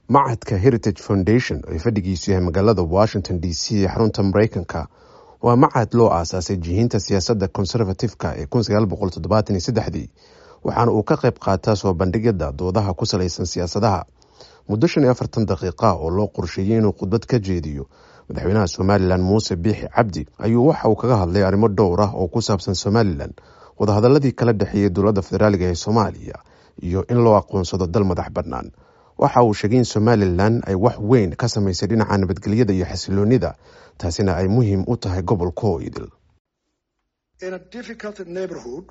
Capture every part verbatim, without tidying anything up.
Machadka Heritage Foundation ee fadhigiisu yahay magaalada Washington D C ee xarunta Mareykanka waa machad loo aasaasay jihinta siyaasadda conservative-ka ee kun sagaal boqol toddobaatan iyo saddexdii, waxaana uu ka qayb qaataa soo bandhigyada doodaha ku salaysan siyaasadaha. Muddo shan iyo afartan daqiiqa oo loo qorsheeyey inuu khudbad ka jeediyo madaxweynaha Somaliland Muuse Biixi Cabdi ayuu waxa uu kaga hadlay arrimo dhowr ah oo ku saabsan Somaliland, wadahadaladii kala dhexeeyey dowladda federaaliga ee Soomaaliya iyo in loo aqoonsado dal madax bannaan. Waxa uu sheegay in Somaliland ay wax weyn ka samaysay dhinaca nabadgelyada iyo xasiloonida, taasina ay muhiim u tahay gobolka oo idil. In a difficult neighborhood,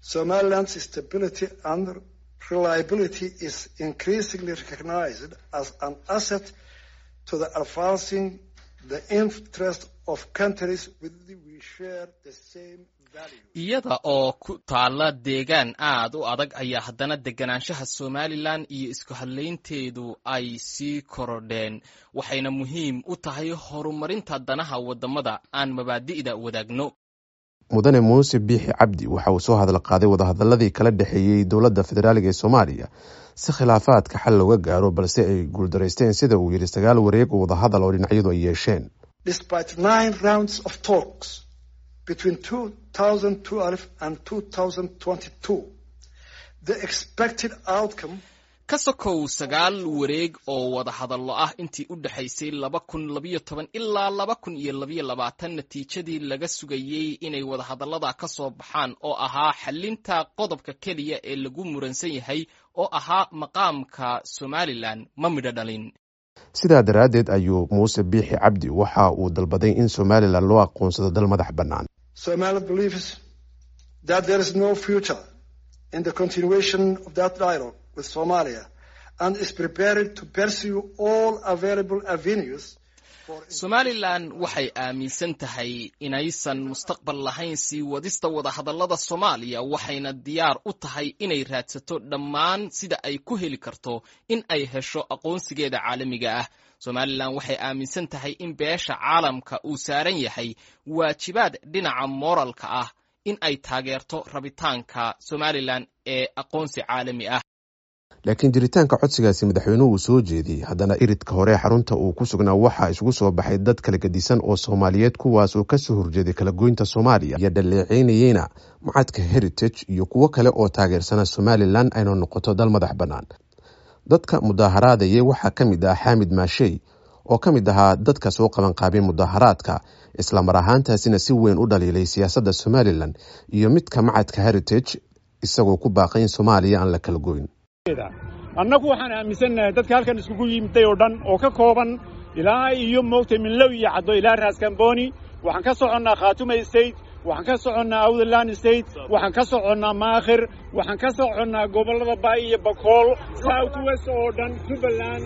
Somaliland's stability and reliability is increasingly recognized as an asset to the advancing the interest of countries with we share the same values. Iyada oo ku taalla deegaan aad u adag ayaa haddana deganaanshaha Somaliland iyo isku hadlaynteedu ay sii korodheen, waxayna muhiim u tahay horumarinta danaha waddamada aan mabaadi'da wadaagno. Mudane Muuse Biixi Cabdi waxa uu soo hadal qaaday wadahadaladii kala dhexeeyey dowladda federaaliga ee Soomaaliya si khilaafaadka xal looga gaaro, balse ay guuldaraysteen, sida uu yidhi, sagaal wareeg oo wadahadal oo dhinacyadu ay yeesheen. Despite nine rounds of talks between twenty twelve and twenty twenty-two, the expected outcome Ka sokow sagaal wareeg oo wadahadallo ah intii u dhexaysay laba kun labiyo toban ilaa laba kun iyo labiyo labaatan, natiijadii laga sugayey inay wadahadallada ka soo baxaan oo ahaa xallinta qodobka keliya ee lagu muransan yahay oo ahaa maqaamka Somaliland ma midho dhalin. Sidaa daraaddeed ayuu Muuse Biixi Cabdi waxa uu dalbaday in Somaliland loo aqoonsado dal madax bannaan. Somaliland believes that there is no future in the continuation of that dialogue with Somalia and is prepared to pursue all available avenues. Somaliland waxay aaminsan tahay inaysan mustaqbal lahayn sii wadista wadahadallada Soomaaliya, waxayna diyaar u tahay inay raadsato dhammaan sida ay ku heli karto in ay hesho aqoonsigeeda caalamiga ah. Somaliland waxay aaminsan tahay in beesha caalamka uu saaran yahay waajibaad dhinaca mooralka ah in ay taageerto rabitaanka Somaliland ee aqoonsi caalami ah. Laakiin jiritaanka codsigaasi madaxweynuhu uu soo jeediyey, haddana iridka hore xarunta uu ku sugnaa waxaa isugu soo baxay dad kala gedisan oo Soomaaliyeed, kuwaas oo kasoo horjeeday kala goynta Soomaaliya iyo dhaleeceynayeyna machadka Heritage iyo kuwo kale oo taageersana Somaliland ayna noqoto dal madax bannaan. Dadka mudaaharaadayay waxaa ka mid ah Xaamid Maashey oo ka mid ahaa dadka soo qabanqaabay mudaharaadka, islamar ahaantaasina si weyn u dhaliilay siyaasadda Somaliland iyo midka machadka Heritage, isagoo ku baaqay in Soomaaliya aan la kala goyn. Annagu waxaan aaminsannahay dadka halkan iskugu yimiday oo dhan oo ka kooban ilaa iyo moogtay Minlow iyo Caddo ilaa Raaskambooni. Waxaan ka soconnaa Khaatuma State, waxaan ka soconnaa Awdaland State, waxaan ka soconnaa Maakhir, waxaan ka soconnaa gobollada Baay iyo Bakool, South West oo dhan, Jubbaland,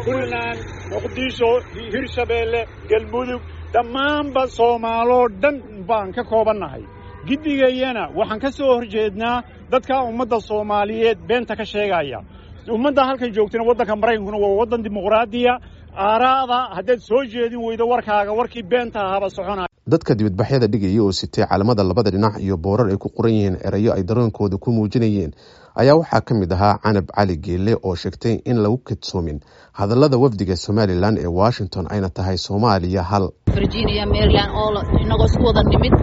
Puntland, Muqdisho, Hirshabeelle, Galmudug, dhammaanba Soomaaloo dhan baan ka koobannahay. Giddigayana waxaan ka soo horjeednaa dadka ummadda Soomaaliyeed beenta ka sheegaya. Ummadda halkan joogtana, waddanka Maraykankuna waa waddan dimuqraadiya. Aaraada haddaad soo jeedin weydo warkaaga, warkii beenta ahaaba soconaya. Dadka dibadbaxyada dhigaya oo sitay calamada labada dhinac iyo boorar ay ku qoran yihiin erayo ay dareenkooda ku muujinayeen ayaa waxaa ka mid ahaa Canab Cali Geele oo sheegtay in lagu kadsoomin hadallada wafdiga Somaliland ee Washington, ayna tahay Soomaaliya hal. Virginia, Maryland oo inagoo isku wada nimid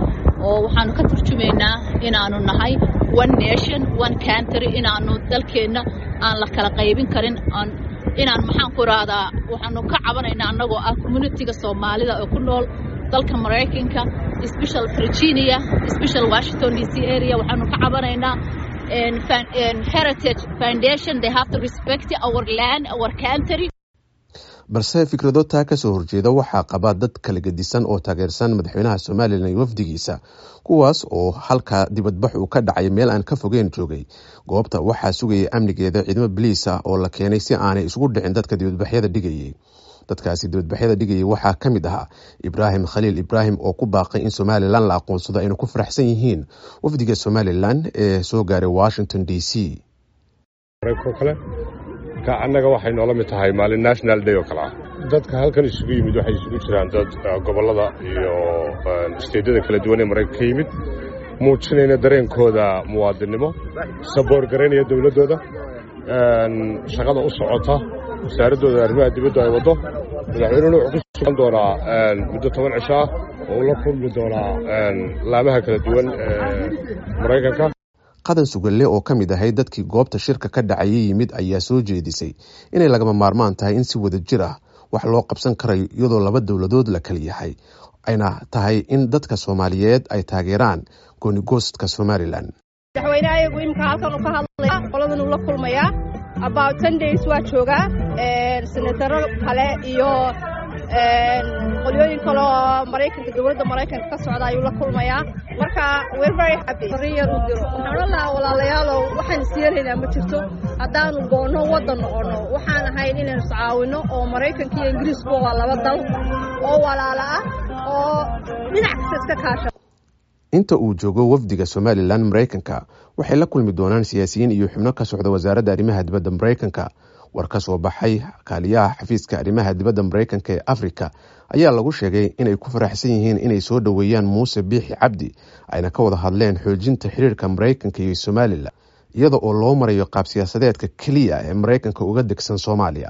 oo waxaanu ka turjumaynaa inaanu nahay one nation, one country, inaanu dalkeenna aan la kala qaybin karin, inaan, maxaan ku rahdaa, waxaanu ka cabanaynaa annagoo ah community-ga Soomaalida oo ku nool dalka Maraykanka, special Virginia, special Washington D C area. Waxaanu ka cabanaynaa Heritage Foundation. They have to respect our land, our country. Balse fikrado taa kasoo horjeeda waxaa qaba dad kala gedisan oo taageersan madaxweynaha Somaliland iyo wafdigiisa, kuwaas oo halka dibadbax uu ka dhacay meel aan ka fogeyn joogay. Goobta waxaa sugayay amnigeeda ciidamo boliis ah oo la keenay si aanay isugu dhicin dadka dibadbaxyada dhigayay. Dadkaasi dibadbaxyada dhigayay waxaa ka mid ahaa Ibraahim Khaliil Ibraahim oo ku baaqay in Somaliland la aqoonsado, ayna ku faraxsan yihiin wafdiga Somaliland ee soo gaaray Washington D C. Kale marka annaga waxay noola mid tahay maalin national day oo kale ah. Dadka halkan isugu yimid waxay isugu jiraan dad gobollada iyo state-yada kala duwan ee Maraykanka ka yimid, muujinayna dareenkooda muwaadinnimo, support garaynaya dowladdooda, shaqada u socota. Wasaaraddooda arrimaha dibaddu ay waddo. Madaxweynuhuna wuxuu ku sugan doonaa muddo toban cisho ah oo uu la kulmi doonaa laamaha kala duwan ee Maraykanka. Qadan Sugalle oo ka mid ahayd dadkii goobta shirka ka dhacayay yimid ayaa soo jeedisay inay lagama maarmaan tahay in si wada jir ah wax loo qabsan karayo iyadoo laba dowladood la kala yahay, ayna tahay in dadka Soomaaliyeed ay taageeraan goonigoostka Somalilan. Madaxweynaha ayagu imika halkan uu ka hadlaya, qoladan uu la kulmayaa, about ten days waa joogaa. Senataro kale iyo qolyooyin kale oo Maraykanka, dowladda Maraykanka ka socda ayuu la kulmayaa. Marka we're very happy. Fariin yar uu diro waxaan odhan lahaa: walaalayaalow, waxaan isyeelaynaa ma jirto haddaanu goonno waddan noqono. Waxaan ahayn inaynu iscaawino oo Maraykanka iyo Ingiriiskuba waa laba dal oo walaala ah oo dhinac kasta iska kaasha. Inta uu joogo wafdiga Somalilan Maraykanka, waxay la kulmi doonaan siyaasiyiin iyo xubno ka socda wasaaradda arrimaha dibadda Maraykanka. War ka soo baxay kaaliyaha xafiiska arrimaha dibadda Maraykanka ee Afrika ayaa lagu sheegay inay ku faraxsan yihiin inay soo dhoweeyaan Muuse Biixi Cabdi, ayna ka wada hadleen xoojinta xiriirka Maraykanka iyo Somalilan iyada oo loo marayo qaab siyaasadeedka keliya ee Maraykanka uga degsan Soomaaliya.